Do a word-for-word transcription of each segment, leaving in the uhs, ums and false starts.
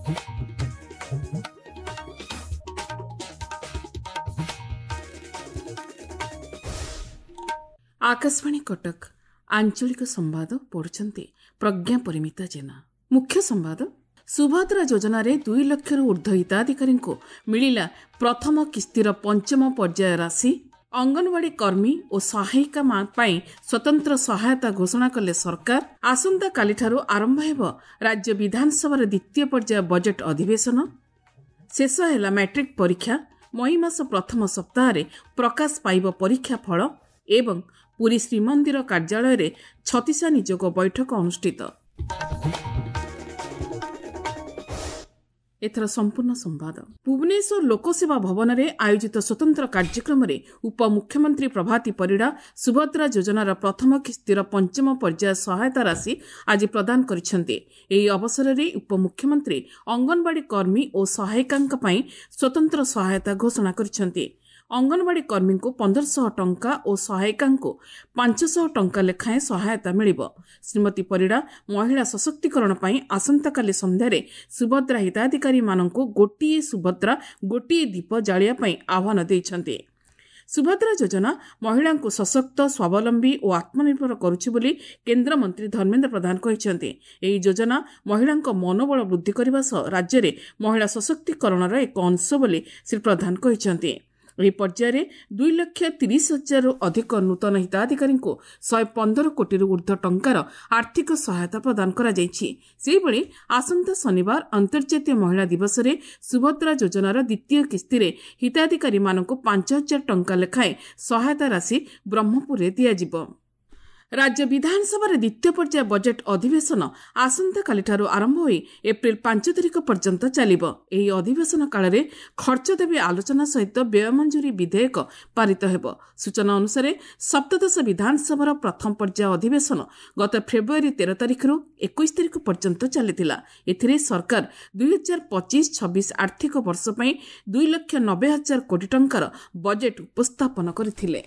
ଆକାଶବାଣୀ କଟକ ଆଞ୍ଚଳିକ ସମ୍ବାଦ ପଢୁଛନ୍ତି ପ୍ରଜ୍ଞା ପରିମିତା ଜେନା। ମୁଖ୍ୟ ସମ୍ବାଦ। ସୁଭଦ୍ରା ଯୋଜନାରେ ଦୁଇ ଲକ୍ଷରୁ ଉର୍ଦ୍ଧ୍ୱ ହିତାଧିକାରୀଙ୍କୁ ମିଳିଲା ପ୍ରଥମ କିସ୍ତିର ପଞ୍ଚମ ପର୍ଯ୍ୟାୟ ରାଶି। ଅଙ୍ଗନବାଡ଼ି କର୍ମୀ ଓ ସହାୟିକା ପାଇଁ ସ୍ୱତନ୍ତ୍ର ସହାୟତା ଘୋଷଣା କଲେ ସରକାର। ଆସନ୍ତାକାଲିଠାରୁ ଆରମ୍ଭ ହେବ ରାଜ୍ୟ ବିଧାନସଭାର ଦ୍ୱିତୀୟ ପର୍ଯ୍ୟାୟ ବଜେଟ୍ ଅଧିବେଶନ। ଶେଷ ହେଲା ମାଟ୍ରିକ୍ ପରୀକ୍ଷା, ମଇ ମାସ ପ୍ରଥମ ସପ୍ତାହରେ ପ୍ରକାଶ ପାଇବ ପରୀକ୍ଷା ଫଳ। ଏବଂ ପୁରୀ ଶ୍ରୀମନ୍ଦିର କାର୍ଯ୍ୟାଳୟରେ ଛତିଶା ନିଯୋଗ ବୈଠକ ଅନୁଷ୍ଠିତ। ଏଥର ସମ୍ପୂର୍ଣ୍ଣ ସମ୍ବାଦ। ଭୁବନେଶ୍ୱର ଲୋକସେବା ଭବନରେ ଆୟୋଜିତ ସ୍ୱତନ୍ତ୍ର କାର୍ଯ୍ୟକ୍ରମରେ ଉପମୁଖ୍ୟମନ୍ତ୍ରୀ ପ୍ରଭାତୀ ପରିଡ଼ା ସୁଭଦ୍ରା ଯୋଜନାର ପ୍ରଥମ କିସ୍ତିର ପଞ୍ଚମ ପର୍ଯ୍ୟାୟ ସହାୟତା ରାଶି ଆଜି ପ୍ରଦାନ କରିଛନ୍ତି। ଏହି ଅବସରରେ ଉପମୁଖ୍ୟମନ୍ତ୍ରୀ ଅଙ୍ଗନବାଡ଼ି କର୍ମୀ ଓ ସହାୟିକାଙ୍କ ପାଇଁ ସ୍ୱତନ୍ତ୍ର ସହାୟତା ଘୋଷଣା କରିଛନ୍ତି। ଅଙ୍ଗନବାଡ଼ି କର୍ମୀଙ୍କୁ ପନ୍ଦରଶହ ଟଙ୍କା ଓ ସହାୟିକାଙ୍କୁ ପାଞ୍ଚଶହ ଟଙ୍କା ଲେଖାଏଁ ସହାୟତା ମିଳିବ। ଶ୍ରୀମତୀ ପରିଡ଼ା ମହିଳା ସଶକ୍ତିକରଣ ପାଇଁ ଆସନ୍ତାକାଲି ସନ୍ଧ୍ୟାରେ ସୁଭଦ୍ରା ହିତାଧିକାରୀମାନଙ୍କୁ ଗୋଟିଏ ସୁଭଦ୍ରା ଗୋଟିଏ ଦୀପ ଜାଳିବା ପାଇଁ ଆହ୍ୱାନ ଦେଇଛନ୍ତି। ସୁଭଦ୍ରା ଯୋଜନା ମହିଳାଙ୍କୁ ସଶକ୍ତ, ସ୍ୱାବଲମ୍ବୀ ଓ ଆତ୍ମନିର୍ଭର କରୁଛି ବୋଲି କେନ୍ଦ୍ରମନ୍ତ୍ରୀ ଧର୍ମେନ୍ଦ୍ର ପ୍ରଧାନ କହିଛନ୍ତି। ଏହି ଯୋଜନା ମହିଳାଙ୍କ ମନୋବଳ ବୃଦ୍ଧି କରିବା ସହ ରାଜ୍ୟରେ ମହିଳା ସଶକ୍ତିକରଣର ଏକ ଅଂଶ ବୋଲି ଶ୍ରୀ ପ୍ରଧାନ କହିଛନ୍ତି। ଏହି ପର୍ଯ୍ୟାୟରେ ଦୁଇ ଲକ୍ଷ ତିରିଶ ହଜାରରୁ ଅଧିକ ନୂତନ ହିତାଧିକାରୀଙ୍କୁ ଶହେ ପନ୍ଦର କୋଟିରୁ ଉର୍ଦ୍ଧ୍ୱ ଟଙ୍କାର ଆର୍ଥିକ ସହାୟତା ପ୍ରଦାନ କରାଯାଇଛି। ସେହିଭଳି ଆସନ୍ତା ଶନିବାର ଅନ୍ତର୍ଜାତୀୟ ମହିଳା ଦିବସରେ ସୁଭଦ୍ରା ଯୋଜନାର ଦ୍ୱିତୀୟ କିସ୍ତିରେ ହିତାଧିକାରୀମାନଙ୍କୁ ପାଞ୍ଚ ହଜାର ଟଙ୍କା ଲେଖାଏଁ ସହାୟତା ରାଶି ବ୍ରହ୍ମପୁରରେ ଦିଆଯିବ। ରାଜ୍ୟ ବିଧାନସଭାର ଦ୍ୱିତୀୟ ପର୍ଯ୍ୟାୟ ବଜେଟ୍ ଅଧିବେଶନ ଆସନ୍ତାକାଲିଠାରୁ ଆରମ୍ଭ ହୋଇ ଏପ୍ରିଲ ପାଞ୍ଚ ତାରିଖ ପର୍ଯ୍ୟନ୍ତ ଚାଲିବ। ଏହି ଅଧିବେଶନ କାଳରେ ଖର୍ଚ୍ଚ ଦାବି ଆଲୋଚନା ସହିତ ବ୍ୟୟ ମଞ୍ଜୁରୀ ବିଧେୟକ ପାରିତ ହେବ। ସୂଚନା ଅନୁସାରେ ସପ୍ତଦଶ ବିଧାନସଭାର ପ୍ରଥମ ପର୍ଯ୍ୟାୟ ଅଧିବେଶନ ଗତ ଫେବୃଆରୀ ତେର ତାରିଖରୁ ଏକୋଇଶ ତାରିଖ ପର୍ଯ୍ୟନ୍ତ ଚାଲିଥିଲା। ଏଥିରେ ସରକାର ଦୁଇ ହଜାର ପଚିଶ ଛବିଶ ଆର୍ଥିକ ବର୍ଷ ପାଇଁ ଦୁଇ ଲକ୍ଷ ନବେ ହଜାର କୋଟି ଟଙ୍କାର ବଜେଟ୍ ଉପସ୍ଥାପନ କରିଥିଲେ।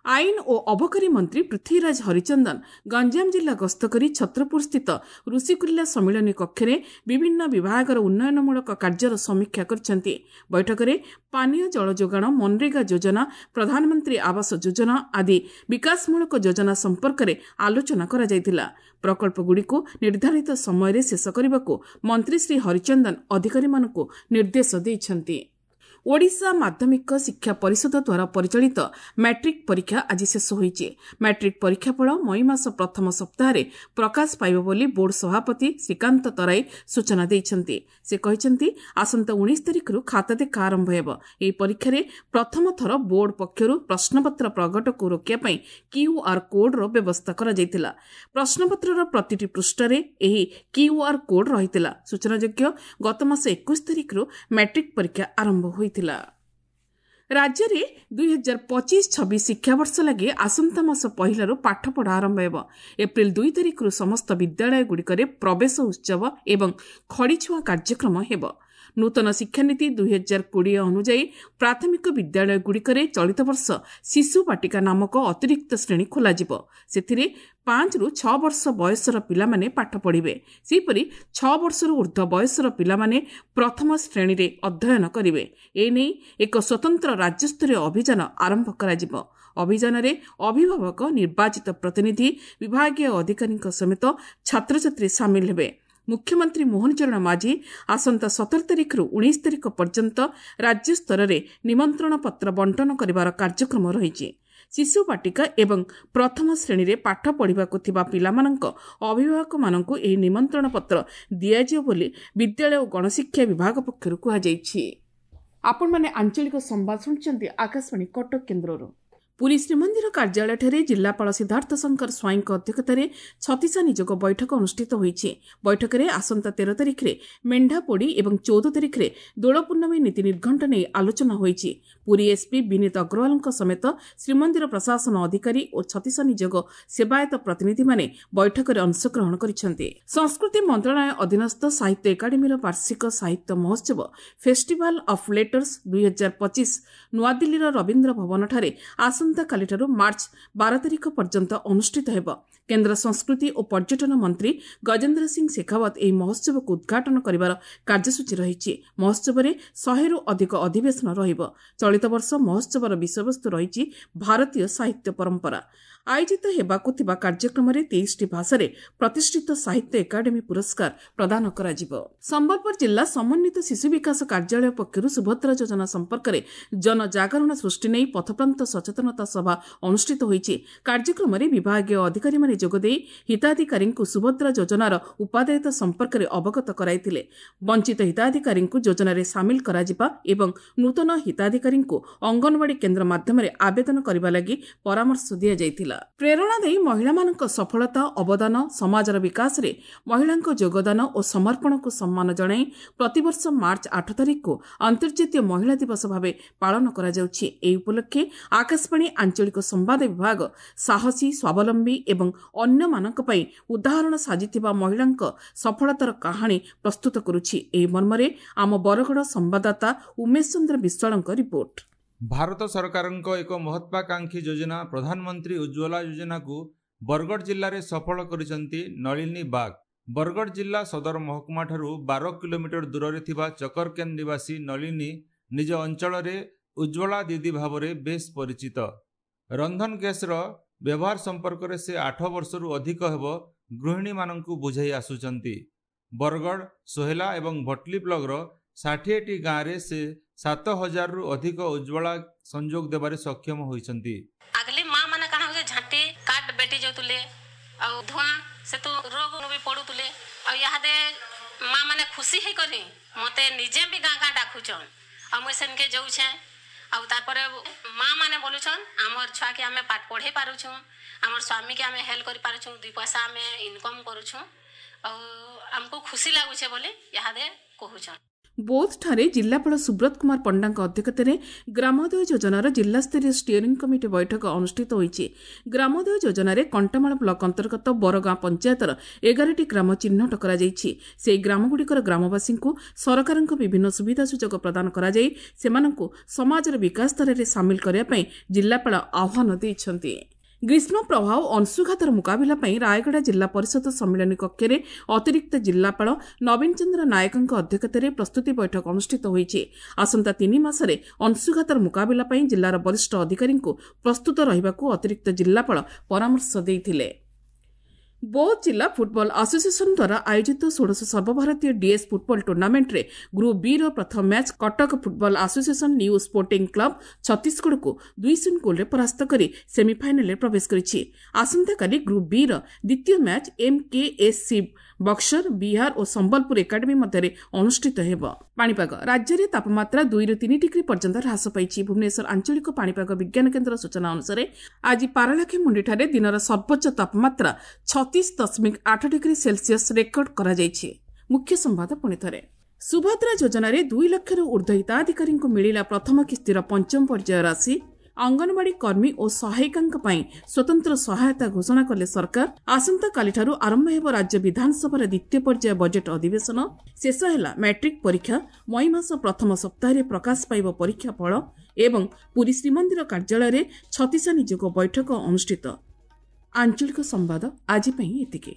ଆଇନ ଓ ଅବକାରୀ ମନ୍ତ୍ରୀ ପୃଥ୍ୱୀରାଜ ହରିଚନ୍ଦନ ଗଞ୍ଜାମ ଜିଲ୍ଲା ଗସ୍ତ କରି ଛତ୍ରପୁରସ୍ଥିତ ଋଷିକୁଲ୍ୟା ସମ୍ମିଳନୀ କକ୍ଷରେ ବିଭିନ୍ନ ବିଭାଗର ଉନ୍ନୟନମୂଳକ କାର୍ଯ୍ୟର ସମୀକ୍ଷା କରିଛନ୍ତି। ବୈଠକରେ ପାନୀୟ ଜଳ ଯୋଗାଣ, ମନରେଗା ଯୋଜନା, ପ୍ରଧାନମନ୍ତ୍ରୀ ଆବାସ ଯୋଜନା ଆଦି ବିକାଶମୂଳକ ଯୋଜନା ସମ୍ପର୍କରେ ଆଲୋଚନା କରାଯାଇଥିଲା। ପ୍ରକଳ୍ପଗୁଡ଼ିକୁ ନିର୍ଦ୍ଧାରିତ ସମୟରେ ଶେଷ କରିବାକୁ ମନ୍ତ୍ରୀ ଶ୍ରୀ ହରିଚନ୍ଦନ ଅଧିକାରୀମାନଙ୍କୁ ନିର୍ଦ୍ଦେଶ ଦେଇଛନ୍ତି। ଓଡ଼ିଶା ମାଧ୍ୟମିକ ଶିକ୍ଷା ପରିଷଦ ଦ୍ୱାରା ପରିଚାଳିତ ମାଟ୍ରିକ୍ ପରୀକ୍ଷା ଆଜି ଶେଷ ହୋଇଛି। ମାଟ୍ରିକ୍ ପରୀକ୍ଷାଫଳ ମଇ ମାସ ପ୍ରଥମ ସପ୍ତାହରେ ପ୍ରକାଶ ପାଇବ ବୋଲି ବୋର୍ଡ ସଭାପତି ଶ୍ରୀକାନ୍ତ ତରାଇ ସୂଚନା ଦେଇଛନ୍ତି। ସେ କହିଛନ୍ତି, ଆସନ୍ତା ଉଣେଇଶ ତାରିଖରୁ ଖାତା ଦେଖା ଆରମ୍ଭ ହେବ। ଏହି ପରୀକ୍ଷାରେ ପ୍ରଥମ ଥର ବୋର୍ଡ ପକ୍ଷରୁ ପ୍ରଶ୍ନପତ୍ର ପ୍ରଘଟକୁ ରୋକିବା ପାଇଁ କ୍ୟୁଆର୍ କୋଡ୍ର ବ୍ୟବସ୍ଥା କରାଯାଇଥିଲା। ପ୍ରଶ୍ନପତ୍ରର ପ୍ରତିଟି ପୃଷ୍ଠାରେ ଏହି କ୍ୟୁଆର୍ କୋଡ୍ ରହିଥିଲା। ସୂଚନାଯୋଗ୍ୟ, ଗତମାସ ଏକୋଇଶ ତାରିଖରୁ ମାଟ୍ରିକ୍ ପରୀକ୍ଷା ଆରମ୍ଭ ହୋଇଥିଲା। ରାଜ୍ୟରେ ଦୁଇ ହଜାର ପଚିଶ ଛବିଶ ଶିକ୍ଷାବର୍ଷ ଲାଗି ଆସନ୍ତା ମାସ ପହିଲାରୁ ପାଠପଢ଼ା ଆରମ୍ଭ ହେବ। ଏପ୍ରିଲ ଦୁଇ ତାରିଖରୁ ସମସ୍ତ ବିଦ୍ୟାଳୟଗୁଡ଼ିକରେ ପ୍ରବେଶ ଉତ୍ସବ ଏବଂ ଖଡ଼ିଛୁଆଁ କାର୍ଯ୍ୟକ୍ରମ ହେବ। ନୂତନ ଶିକ୍ଷାନୀତି ଦୁଇ ହଜାର କୋଡ଼ିଏ ଅନୁଯାୟୀ ପ୍ରାଥମିକ ବିଦ୍ୟାଳୟଗୁଡ଼ିକରେ ଚଳିତ ବର୍ଷ ଶିଶୁ ବାଟିକା ନାମକ ଅତିରିକ୍ତ ଶ୍ରେଣୀ ଖୋଲାଯିବ। ସେଥିରେ ପାଞ୍ଚରୁ ଛଅ ବର୍ଷ ବୟସର ପିଲାମାନେ ପାଠ ପଢ଼ିବେ। ସେହିପରି ଛଅ ବର୍ଷରୁ ଉର୍ଦ୍ଧ୍ୱ ବୟସର ପିଲାମାନେ ପ୍ରଥମ ଶ୍ରେଣୀରେ ଅଧ୍ୟୟନ କରିବେ। ଏନେଇ ଏକ ସ୍ୱତନ୍ତ୍ର ରାଜ୍ୟସ୍ତରୀୟ ଅଭିଯାନ ଆରମ୍ଭ କରାଯିବ। ଅଭିଯାନରେ ଅଭିଭାବକ, ନିର୍ବାଚିତ ପ୍ରତିନିଧି, ବିଭାଗୀୟ ଅଧିକାରୀଙ୍କ ସମେତ ଛାତ୍ରଛାତ୍ରୀ ସାମିଲ ହେବେ। ମୁଖ୍ୟମନ୍ତ୍ରୀ ମୋହନ ଚରଣ ମାଝୀ ଆସନ୍ତା ସତର ତାରିଖରୁ ଉଣେଇଶ ତାରିଖ ପର୍ଯ୍ୟନ୍ତ ରାଜ୍ୟସ୍ତରରେ ନିମନ୍ତ୍ରଣ ପତ୍ର ବଣ୍ଟନ କରିବାର କାର୍ଯ୍ୟକ୍ରମ ରହିଛି। ଶିଶୁ ବାଟିକା ଏବଂ ପ୍ରଥମ ଶ୍ରେଣୀରେ ପାଠ ପଢ଼ିବାକୁ ଥିବା ପିଲାମାନଙ୍କ ଅଭିଭାବକମାନଙ୍କୁ ଏହି ନିମନ୍ତ୍ରଣ ପତ୍ର ଦିଆଯିବ ବୋଲି ବିଦ୍ୟାଳୟ ଓ ଗଣଶିକ୍ଷା ବିଭାଗ ପକ୍ଷରୁ କୁହାଯାଇଛି। ଆପଣମାନେ ଆଞ୍ଚଳିକ ସମ୍ବାଦ ଶୁଣୁଛନ୍ତି ଆକାଶବାଣୀ କଟକ କେନ୍ଦ୍ରରୁ। ପୁରୀ ଶ୍ରୀମନ୍ଦିର କାର୍ଯ୍ୟାଳୟଠାରେ ଜିଲ୍ଲାପାଳ ସିଦ୍ଧାର୍ଥ ଶଙ୍କର ସ୍ୱାଇଁଙ୍କ ଅଧ୍ୟକ୍ଷତାରେ ଛତିଶା ନିଯୋଗ ବୈଠକ ଅନୁଷ୍ଠିତ ହୋଇଛି। ବୈଠକରେ ଆସନ୍ତା ତେର ତାରିଖରେ ମେଣ୍ଢାପୋଡ଼ି ଏବଂ ଚଉଦ ତାରିଖରେ ଦୋଳ ପୂର୍ଣ୍ଣମୀ ନୀତି ନିର୍ଘଣ୍ଟ ନେଇ ଆଲୋଚନା ହୋଇଛି। ପୁରୀ ଏସ୍ପି ବିନୀତ ଅଗ୍ରୱାଲଙ୍କ ସମେତ ଶ୍ରୀମନ୍ଦିର ପ୍ରଶାସନ ଅଧିକାରୀ ଓ ଛତିଶା ନିଯୋଗ ସେବାୟତ ପ୍ରତିନିଧିମାନେ ବୈଠକରେ ଅଂଶଗ୍ରହଣ କରିଛନ୍ତି। ସଂସ୍କୃତି ମନ୍ତ୍ରଣାଳୟ ଅଧୀନସ୍ଥ ସାହିତ୍ୟ ଏକାଡେମୀର ବାର୍ଷିକ ସାହିତ୍ୟ ମହୋତ୍ସବ ଫେଷ୍ଟିଭାଲ ଅଫ୍ ଲେଟର୍ସ ଦୁଇ ହଜାର ପଚିଶ ନୂଆଦିଲ୍ଲୀର ରବୀନ୍ଦ୍ର ଭବନଠାରେ ଆସନ୍ତାକାଲିଠାରୁ ମାର୍ଚ୍ଚ ବାର ତାରିଖ ପର୍ଯ୍ୟନ୍ତ ଅନୁଷ୍ଠିତ ହେବ। କେନ୍ଦ୍ର ସଂସ୍କୃତି ଓ ପର୍ଯ୍ୟଟନ ମନ୍ତ୍ରୀ ଗଜେନ୍ଦ୍ର ସିଂ ଶେଖାୱତ ଏହି ମହୋତ୍ସବକୁ ଉଦ୍ଘାଟନ କରିବାର କାର୍ଯ୍ୟସୂଚୀ ରହିଛି। ମହୋତ୍ସବରେ ଶହେରୁ ଅଧିକ ଅଧିବେଶନ ରହିବ। ଚଳିତ ବର୍ଷ ମହୋତ୍ସବର ବିଷୟବସ୍ତୁ ରହିଛି ଭାରତୀୟ ସାହିତ୍ୟ ପରମ୍ପରା। ଆୟୋଜିତ ହେବାକୁ ଥିବା କାର୍ଯ୍ୟକ୍ରମରେ ତେଇଶଟି ଭାଷାରେ ପ୍ରତିଷ୍ଠିତ ସାହିତ୍ୟ ଏକାଡେମୀ ପୁରସ୍କାର ପ୍ରଦାନ କରାଯିବ। ସମ୍ବଲପୁର ଜିଲ୍ଲା ସମନ୍ୱିତ ଶିଶୁ ବିକାଶ କାର୍ଯ୍ୟାଳୟ ପକ୍ଷରୁ ସୁଭଦ୍ରା ଯୋଜନା ସମ୍ପର୍କରେ ଜନଜାଗରଣ ସୃଷ୍ଟି ନେଇ ପଥପ୍ରାନ୍ତ ସଚେତନତା ସଭା ଅନୁଷ୍ଠିତ ହୋଇଛି। କାର୍ଯ୍ୟକ୍ରମରେ ବିଭାଗୀୟ ଅଧିକାରୀମାନେ ଯୋଗଦେଇ ହିତାଧିକାରୀଙ୍କୁ ସୁଭଦ୍ରା ଯୋଜନାର ଉପାଦେୟତା ସମ୍ପର୍କରେ ଅବଗତ କରାଇଥିଲେ। ବଞ୍ଚିତ ହିତାଧିକାରୀଙ୍କୁ ଯୋଜନାରେ ସାମିଲ କରାଯିବା ଏବଂ ନୂତନ ହିତାଧିକାରୀଙ୍କୁ ଅଙ୍ଗନବାଡ଼ି କେନ୍ଦ୍ର ମାଧ୍ୟମରେ ଆବେଦନ କରିବା ଲାଗି ପରାମର୍ଶ ଦିଆଯାଇଥିଲା। ପ୍ରେରଣା ଦେଇ ମହିଳାମାନଙ୍କ ସଫଳତା, ଅବଦାନ, ସମାଜର ବିକାଶରେ ମହିଳାଙ୍କ ଯୋଗଦାନ ଓ ସମର୍ପଣକୁ ସମ୍ମାନ ଜଣାଇ ପ୍ରତିବର୍ଷ ମାର୍ଚ୍ଚ ଆଠ ତାରିଖକୁ ଅନ୍ତର୍ଜାତୀୟ ମହିଳା ଦିବସ ଭାବେ ପାଳନ କରାଯାଉଛି। ଏହି ଉପଲକ୍ଷେ ଆକାଶବାଣୀ ଆଞ୍ଚଳିକ ସମ୍ବାଦ ବିଭାଗ ସାହସୀ, ସ୍ୱାବଲମ୍ବୀ ଏବଂ ଅନ୍ୟମାନଙ୍କ ପାଇଁ ଉଦାହରଣ ସାଜିଥିବା ମହିଳାଙ୍କ ସଫଳତାର କାହାଣୀ ପ୍ରସ୍ତୁତ କରୁଛି। ଏହି ମର୍ମରେ ଆମ ବରଗଡ଼ ସମ୍ବାଦଦାତା ଉମେଶ ଚନ୍ଦ୍ର ବିଶ୍ୱାଳଙ୍କ ରିପୋର୍ଟ। ଭାରତ ସରକାରଙ୍କ ଏକ ମହତ୍ୱାକାଂକ୍ଷୀ ଯୋଜନା ପ୍ରଧାନମନ୍ତ୍ରୀ ଉଜ୍ଜ୍ୱଲା ଯୋଜନାକୁ ବରଗଡ଼ ଜିଲ୍ଲାରେ ସଫଳ କରିଛନ୍ତି ନଳିନୀ ବାଗ। ବରଗଡ଼ ଜିଲ୍ଲା ସଦର ମହକୁମାଠାରୁ ବାର କିଲୋମିଟର ଦୂରରେ ଥିବା ଚକରକେନ୍ଦ ନିବାସୀ ନଳିନୀ ନିଜ ଅଞ୍ଚଳରେ ଉଜ୍ଜ୍ୱଳା ଦିଦି ଭାବରେ ବେଶ୍ ପରିଚିତ। ରନ୍ଧନ ଗ୍ୟାସ୍ର ବ୍ୟବହାର ସମ୍ପର୍କରେ ସେ ଆଠ ବର୍ଷରୁ ଅଧିକ ହେବ ଗୃହିଣୀମାନଙ୍କୁ ବୁଝାଇ ଆସୁଛନ୍ତି। ବରଗଡ଼, ସୋହେଲା ଏବଂ ଭଟଲି ବ୍ଲକର ଷାଠିଏଟି ଗାଁରେ ସେ ସାତ ହଜାରରୁ ଅଧିକ ଉଜ୍ଜ୍ୱଳା ସଂଯୋଗ ଦେବାରେ ସକ୍ଷମ ହୋଇଛନ୍ତି। ଆଗଲି ମା ମାନେ କାଣା ହଉଛେ, ଝାଟି କାଠ ବେଟି ଯାଉଥିଲେ ଆଉ ଧୂଆଁ ସେତୁ ରୋଗ ବି ପଡୁଥିଲେ। ଆଉ ଇହାଦେ ମା ମାନେ ଖୁସି ହେଇକରି ମତେ ନିଜେ ବି ଗାଁ ଗାଁ ଡାକୁଛନ୍ ଆଉ ମୁଇଁ ସେନକେ ଯାଉଛେଁ। ଆଉ ତାପରେ ମା ମାନେ ବୋଲୁଛନ୍ ଆମର ଛୁଆକେ ଆମେ ପାଠ ପଢ଼େଇ ପାରୁଛୁଁ, ଆମର ସ୍ୱାମୀକେ ଆମେ ହେଲ୍ପ କରିପାରୁଛୁଁ, ଦୁଇ ପଇସା ଆମେ ଇନକମ୍ କରୁଛୁଁ ଆଉ ଆମକୁ ଖୁସି ଲାଗୁଛେ ବୋଲି ଇହାଦେ କହୁଛନ୍। ବୌଦ୍ଧଠାରେ ଜିଲ୍ଲାପାଳ ସୁବ୍ରତ କୁମାର ପଣ୍ଡାଙ୍କ ଅଧ୍ୟକ୍ଷତାରେ ଗ୍ରାମୋଦୟ ଯୋଜନାର ଜିଲ୍ଲାସ୍ତରୀୟ ଷ୍ଟିଅରିଂ କମିଟି ବୈଠକ ଅନୁଷ୍ଠିତ ହୋଇଛି। ଗ୍ରାମୋଦୟ ଯୋଜନାରେ କଣ୍ଟାମାଳ ବ୍ଲକ ଅନ୍ତର୍ଗତ ବରଗାଁ ପଞ୍ଚାୟତର ଏଗାରଟି ଗ୍ରାମ ଚିହ୍ନଟ କରାଯାଇଛି। ସେହି ଗ୍ରାମଗୁଡ଼ିକର ଗ୍ରାମବାସୀଙ୍କୁ ସରକାରଙ୍କ ବିଭିନ୍ନ ସୁବିଧା ସୁଯୋଗ ପ୍ରଦାନ କରାଯାଇ ସେମାନଙ୍କୁ ସମାଜର ବିକାଶ ଧାରାରେ ସାମିଲ କରିବା ପାଇଁ ଜିଲ୍ଲାପାଳ ଆହ୍ୱାନ ଦେଇଛନ୍ତି। ଗ୍ରୀଷ୍ମ ପ୍ରବାହ ଓ ଅଂଶୁଘାତର ମୁକାବିଲା ପାଇଁ ରାୟଗଡ଼ା ଜିଲ୍ଲା ପରିଷଦ ସମ୍ମିଳନୀ କକ୍ଷରେ ଅତିରିକ୍ତ ଜିଲ୍ଲାପାଳ ନବୀନ ଚନ୍ଦ୍ର ନାୟକଙ୍କ ଅଧ୍ୟକ୍ଷତାରେ ପ୍ରସ୍ତୁତି ବୈଠକ ଅନୁଷ୍ଠିତ ହୋଇଛି। ଆସନ୍ତା ତିନି ମାସରେ ଅଂଶୁଘାତର ମୁକାବିଲା ପାଇଁ ଜିଲ୍ଲାର ବରିଷ୍ଠ ଅଧିକାରୀଙ୍କୁ ପ୍ରସ୍ତୁତ ରହିବାକୁ ଅତିରିକ୍ତ ଜିଲ୍ଲାପାଳ ପରାମର୍ଶ ଦେଇଥିଲେ। ବୌଦ୍ଧ ଜିଲ୍ଲା ଫୁଟବଲ ଆସୋସିଏସନ ଦ୍ୱାରା ଆୟୋଜିତ ଷୋଡ଼ଶ ସର୍ବଭାରତୀୟ ଡିଏସ୍ ଫୁଟବଲ ଟୁର୍ଣ୍ଣାମେଣ୍ଟରେ ଗ୍ରୁପ୍ ବିର ପ୍ରଥମ match Cuttack football association new sporting club ଛତିଶଗଡ଼କୁ ଦୁଇ ଶୂନ ଗୋଲ୍ରେ ପରାସ୍ତ କରି ସେମିଫାଇନାଲରେ ପ୍ରବେଶ କରିଛି। ଆସନ୍ତାକାଲି ଗ୍ରୁପ୍ ବିର ଦ୍ୱିତୀୟ ମ୍ୟାଚ୍ ଏମ୍କେଏସ୍ସି ବକ୍ସର ବିହାର ଓ ସମ୍ବଲପୁର ଏକାଡେମୀ ମଧ୍ୟରେ ଅନୁଷ୍ଠିତ ହେବ। ପାଣିପାଗ ରାଜ୍ୟରେ ତାପମାତ୍ରା ଦୁଇରୁ ତିନି ଡିଗ୍ରୀ ପର୍ଯ୍ୟନ୍ତ ହ୍ରାସ ପାଇଛି। ଭୁବନେଶ୍ୱର ଆଞ୍ଚଳିକ ପାଣିପାଗ ବିଜ୍ଞାନ କେନ୍ଦ୍ର ସୂଚନା ଅନୁସାରେ ଆଜି ପାରଳାଖେମୁଣ୍ଡିଠାରେ ଦିନର ସର୍ବୋଚ୍ଚ ତାପମାତ୍ରା ଛତିଶ ଦଶମିକ ଆଠ ଡିଗ୍ରୀ ସେଲସିୟସ୍ ରେକର୍ଡ କରାଯାଇଛି। ମୁଖ୍ୟ ସମ୍ବାଦ ପୁଣି ଥରେ, ସୁଭଦ୍ରା ଯୋଜନାରେ ଦୁଇ ଲକ୍ଷରୁ ଉର୍ଦ୍ଧ୍ୱ ହିତାଧିକାରୀଙ୍କୁ ମିଳିଲା ପ୍ରଥମ କିସ୍ତିର ପଞ୍ଚମ ପର୍ଯ୍ୟାୟ ରାଶି। ଅଙ୍ଗନବାଡ଼ି କର୍ମୀ ଓ ସହାୟିକାଙ୍କ ପାଇଁ ସ୍ୱତନ୍ତ୍ର ସହାୟତା ଘୋଷଣା କଲେ ସରକାର। ଆସନ୍ତାକାଲିଠାରୁ ଆରମ୍ଭ ହେବ ରାଜ୍ୟ ବିଧାନସଭାର ଦ୍ୱିତୀୟ ପର୍ଯ୍ୟାୟ ବଜେଟ୍ ଅଧିବେଶନ। ଶେଷ ହେଲା ମାଟ୍ରିକ୍ ପରୀକ୍ଷା, ମଇ ମାସ ପ୍ରଥମ ସପ୍ତାହରେ ପ୍ରକାଶ ପାଇବ ପରୀକ୍ଷା ଫଳ। ଏବଂ ପୁରୀ ଶ୍ରୀମନ୍ଦିର କାର୍ଯ୍ୟାଳୟରେ ଛତିଶା ନିଯୋଗ ବୈଠକ ଅନୁଷ୍ଠିତ। ଆଞ୍ଚଳିକ ସମ୍ବାଦ ଆଜି ପାଇଁ ଏତିକି।